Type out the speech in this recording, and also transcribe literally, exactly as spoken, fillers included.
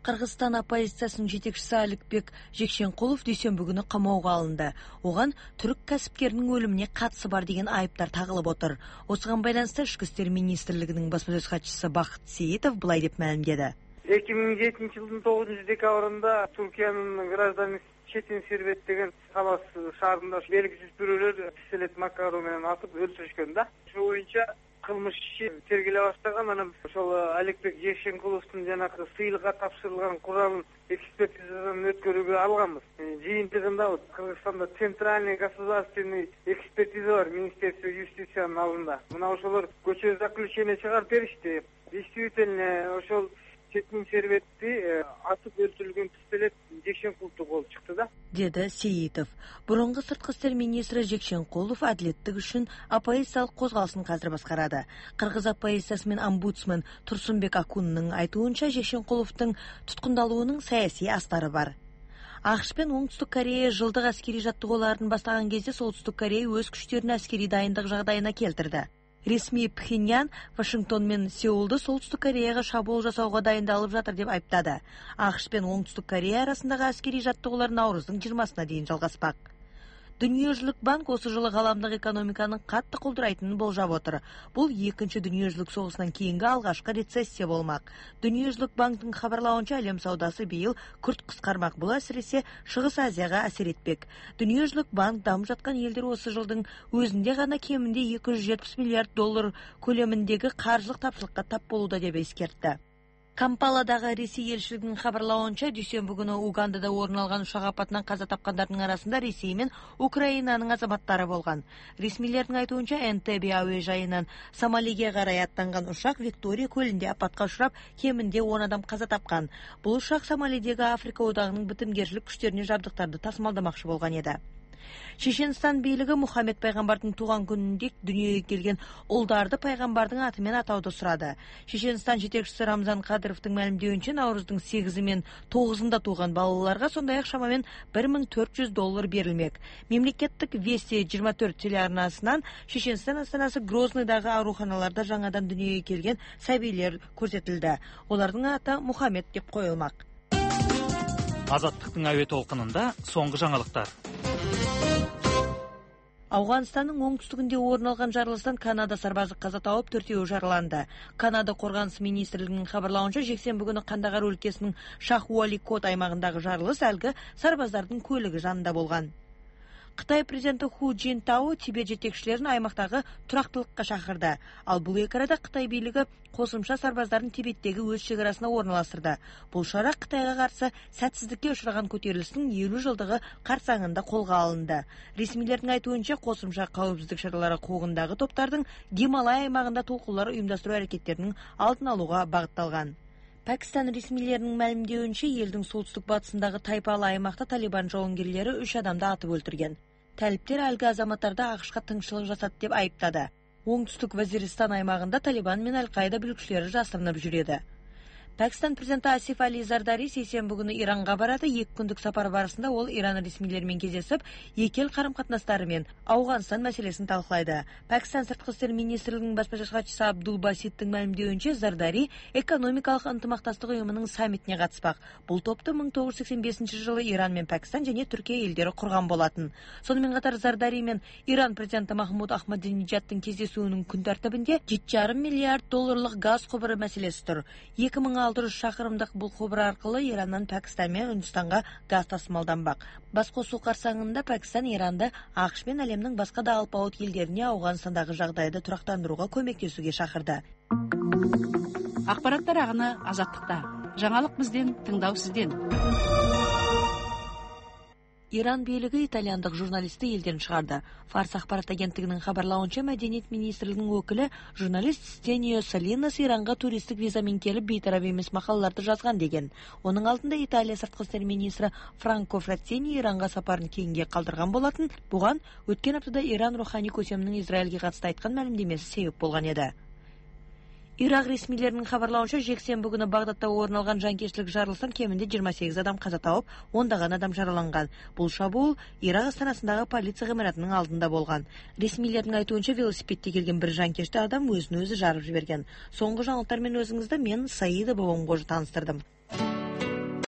Кыргызстан оппозициясынын жетекчиси Аликбек Жекшенкулов дүйсөнбү күнү камоого алынды. Оган түрк касипкеринин өлүмүнө катысы бар деген айыптар тагылып отур. Осуга байланыштуу Ички иштер министрлигинин басма сөз катчысы Бакыт Сейитов былай деп маалимдеди. эки миң жетинчи жылдын тогузунчу декабрында Туркиянын гражданы Четин Сербет деген Талас шаарында белгисиз бирөөлөр Селет Макару менен атып өлтүрүшкөн да. Ошол боюнча кылмыш иши тергеле баштаган. Анан ошол Аликбек Жекшенкуловдун жанагы сыйылга тапшырылган куралын экспертизадан өткөрүүгө алганбыз. Жыйынтыгында Кыргызстанда центральный государственный экспертиза бар Министерство юстициянын алдында. Мына ошолор көчө заключение чыгарып беришти. Действительно ошол Четин Сербетти атып өлтүрүлгөн пистолет Жекшенкуловдун колу чыкты да, деди Сейитов. Бурунку сырткы иштер министри Жекшенкулов адилеттик үчүн оппозициялык козголуштун казыр башкарады. Кыргыз оппозициясы менен омбудсмен Турсунбек Акуннун айтуунча, Жекшенкуловдун туткундалуунун саясий астары бар. АКШ пен Оңтүстүк Корея жылдык аскерий жаттыгууларын баштаган кезде Солтүстүк Корея өз күчтөрүнүн аскерий дайындык жагдайына келтирди. Ресми Пхеньян Вашингтон менен Сеулду Солтүстүк Кореяга шабуул жасоого дайындалып жатыр деп айыптады. АКШ пен Оңтүстүк Корея арасындагы аскерий жаттыгуулар Навруздун жыйырмасына чейин жалгаспак. Дүниежүзүлүк банк осы жылы галамдык экономиканын катты колдурайтынын болжап отур. Бул экинчи дүниежүзүлүк согушунан кийинки алгачкы рецессия болмак. Дүниежүзүлүк банктын кабарлауынча, алем саудасы быйыл күрт кыскармак. Бул әсиресе Чыгыс Азияга асер этпек. Дүниежүзүлүк банк дамып жаткан элдер осы жылдың өзүндө гана кеминде эки жүз жетимиш миллиард доллар көлөмүндөгү каржылык тапшырыкка тап болууда деп эскертти. Кампаладагы Ресей элчилигинин кабарлауынча, дүйсөнбү күнү Угандада орун алган учак апатынан каза тапкандардын арасында Ресей менен Украинанын азаматтары болгон. Ресмилердин айтуунча, Энтебе абы жайынан Сомалиге карай аттанган учак Виктория көлүндө апатка учурап, кеминде он адам каза тапкан. Бул учак Сомалидеги Африка одагынын битимгерчилик күчтөрүнө жабдыктарды тасымалдамакчы болгон эди. Чеченстан бийлиги Мухаммед пайгамбардын тууган күнүндө дүйнөгө келген улдарды пайгамбардын аты менен атауду сурады. Чеченстан жетекчиси Рамзан Кадыровдун маалимдеуинче, Навруздун сегизи мен тогузунда тууган балаларга сондай ак шамамен бир миң төрт жүз доллар берилмек. Мемлекеттик Вести жыйырма төрт телеарнасынан Чеченстан астанасы Грозныйдагы ооруканаларда жаңадан дүйнөгө келген сабийлер көрсөтүлдү. Олардын аты Мухаммед деп коюлмак. Азаттыктын аба толкунунда соңку жаңылыктар. Афганстандын оңтүстүгүндө орун алган жарылыштан Канада сарбазы каза тауып, төртөө жараланды. Канада коргонуш министрлигинин кабарлауынча, жексенби күнү Кандагар өлкесинин Шахуаликот аймагындагы жарылыш алгы сарбаздардын көлүгү жанында болгон. Кытай президенти Ху Цзиньтао Тибет жетекчилерин аймактагы турактылыкка чакырды. Ал бул эки арада Кытай бийлиги кошумча сарбаздарын Тибеттеги өз чек арасына орналаштырды. Бул шара Кытайга каршы сәтсиздикке учураган көтөрүлүштүн элүү жылдыгы карсаңында колго алынды. Ресмилердин айтуунча, кошумча коопсуздук чаралары куугундагы топтардын Гималай аймагында толкуулар уюмдаштыруу аракеттеринин алдын алууга багытталган. Пакистан ресмилеринин маалимдеуинче, элдин солтүстүк батысындагы Тайпалы аймакта Талибан жоңгерлери үч адамды атып өлтүргөн. Талиптер алга азаматтарды АКШка тыңчылык жасады деп айыптады. Оңтүстүк Вазиристан аймагында Талибан менен Аль-Каида бүлүкчүлөрү жасырынып жүрөдү. Пакистан президенти Асиф Али Зардари сейсенби күнү Иранга барады. эки күндүк сапар барысында ол Иран ресмилери менен кездешип, эки эл карым-катнаштары менен Афганстан маселесин талкуулайды. Пакистан сырткы иштер министрлигинин басма сөз катчысы Абдул Баситтин маалимдеуинче, Зардари экономикалык ынтымакташтык уюмунун саммитине катыспак. Бул топту миң тогуз жүз сексен бешинчи жылы Иран менен Пакистан жана Түркия элдери курган болатын. Сону менен катар Зардари менен Иран президенти Махмуд Ахмадинежадтын кездесүүнүн күн тартибинде жети жарым миллиард долларлык газ кубуру маселеси тур. эки миң алты жүз шакырымдык бул кубур аркылуу Ирандан Пакистан менен Үндүстанга газ тасымалданбак. Бас косуу карсаңында Пакистан Иранды АКШ менен алемдин башка да алпауыт элдерине Афганстандагы жагдайды турактандырууга көмөктөшүүгө чакырды. Акпараттар агыны Азаттыкта. Жаңалык бизден, тыңдау сизден. Иран бийлиги итальяндык журналистти элден чыгарды. Фарс акпарат агенттигинин кабарлауынча, Мәдениет министрлигинин өкүлү журналист Стенио Салинас Иранга туристтик визамен келип, бейтарап эмес макалаларды жазган деген. Онун алдында Италия сырткы иштер министри Франко Фраттини Иранга сапарын кейинге калтырган болатын. Буга өткөн аптада Иран руханий көсөмүнүн Израилге катысты айткан маалимдемеси себеп болгон эди. Ирак ресмилеринин кабарлауынча, жексенби күнү Багдадда орун алган жанкечтилик жарылыштан кеминде жыйырма сегиз адам каза тауып, ондаган адам жараланган. Бул шабуул Ирак астанасындагы полиция гымаратынын алдында болгон. Ресмилердин айтуунча, велосипедде келген бир жанкечти адам өзүн өзү жарып жиберген. Соңку жаңылыктар менен өзүңүздө мен Саида Бобомгожу тааныстырдым.